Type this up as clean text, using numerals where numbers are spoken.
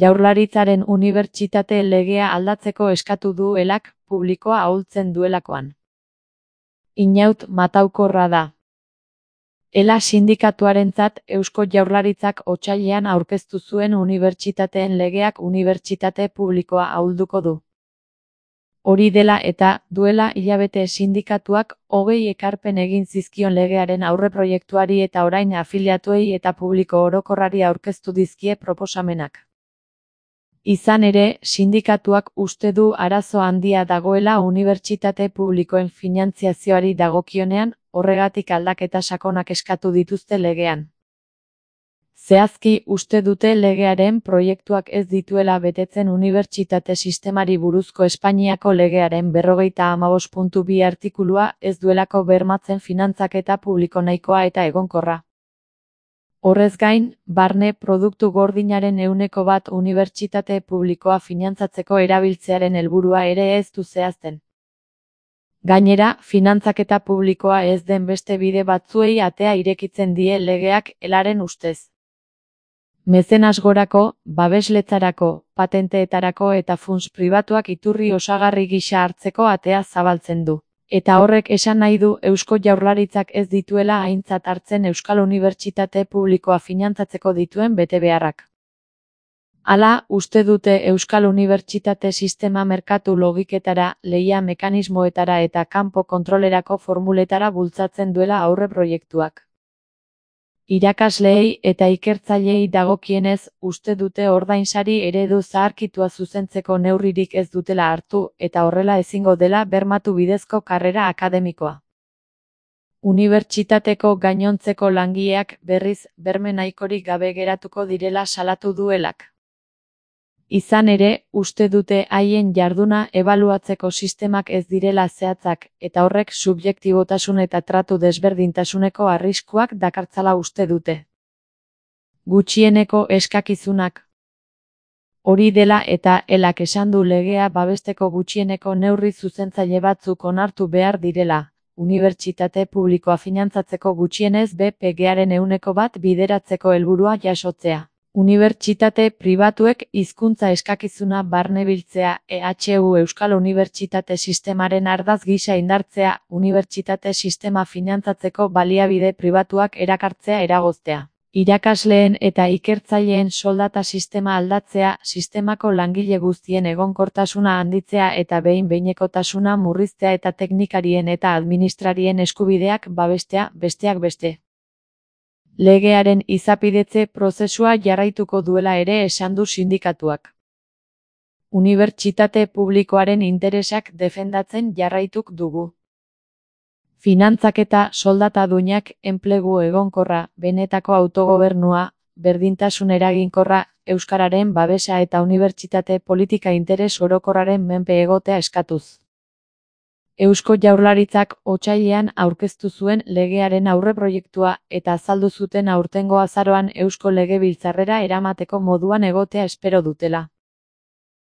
Jaurlaritzaren unibertsitate legea aldatzeko eskatu du elak, publikoa ahultzen duelakoan. Inaut mataukorra da. Ela sindikatuarentzat Eusko Jaurlaritzak otsailean aurkeztu zuen unibertsitateen legeak unibertsitate publikoa ahulduko du. Hori dela eta, duela hilabete sindikatuak 20 ekarpen egin zizkion legearen aurreproiektuari eta orain afiliatuei eta publiko orokorrari aurkeztu dizkie proposamenak. Izan ere, sindikatuak uste du arazo handia dagoela unibertsitate publikoen finantziazioari dagokionean, horregatik aldaketa sakonak eskatu dituzte legean. Zehazki uste dute legearen proiektuak ez dituela betetzen unibertsitate sistemari buruzko Espainiako legearen 55.2 artikulua ez duelako bermatzen finantzaketa publiko nahikoa eta egonkorra. Horrez gain, barne produktu gordinaren 1% unibertsitate publikoa finantzatzeko erabiltzearen helburua ere ez du zehazten. Gainera, finantzaketa publikoa ez den beste bide batzuei atea irekitzen die legeak elaren ustez. Mezenasgorako, babesletzarako, patenteetarako eta funts pribatuak iturri osagarri gisa hartzeko atea zabaltzen du. Eta horrek esan nahi du Eusko Jaurlaritzak ez dituela aintzat hartzen Euskal Unibertsitate publikoa finantzatzeko dituen betebeharrak. Hala, uste dute Euskal Unibertsitate sistema merkatu logiketara, lehia mekanismoetara eta kanpo kontrolerako formuletara bultzatzen duela aurreproiektuak. Irakasleei eta ikertzaileei dagokienez, uste dute ordainsari eredu zaharkitua zuzentzeko neurririk ez dutela hartu eta horrela ezingo dela bermatu bidezko karrera akademikoa. Unibertsitateko gainontzeko langileak berriz berme nahikorik gabe geratuko direla salatu duelak. Izan ere, uste dute haien jarduna ebaluatzeko sistemak ez direla zehatzak, eta horrek subjektibotasun eta tratu desberdintasuneko arriskuak dakartzala uste dute. Gutxieneko eskakizunak. Hori dela eta elak esan du legea babesteko gutxieneko neurri zuzentzaile batzuk onartu behar direla, unibertsitate publikoa finantzatzeko gutxienez BPG-aren 1% bideratzeko helburua jasotzea. Unibertsitate pribatuek hizkuntza eskakizuna barnebiltzea, EHU Euskal Unibertsitate Sistemaren ardaz gisa indartzea, unibertsitate sistema finantzatzeko baliabide pribatuak erakartzea eragoztea. Irakasleen eta ikertzaileen soldata sistema aldatzea, sistemako langile guztien egonkortasuna handitzea eta behin-behinekotasuna murriztea eta teknikarien eta administrarien eskubideak babestea, besteak beste. Legearen izapidetze prozesua jarraituko duela ere esan du sindikatuak. Unibertsitate publikoaren interesak defendatzen jarraituk dugu. Finantzaketa, soldatadunak, enplegu egonkorra, benetako autogobernua, berdintasun eraginkorra, euskararen babesa eta unibertsitate politika interes orokorraren menpe egotea eskatuz. Eusko Jaurlaritzak otsailean aurkeztu zuen legearen aurreproiektua eta azaldu zuten aurtengo azaroan Eusko Legebiltzarrera eramateko moduan egotea espero dutela.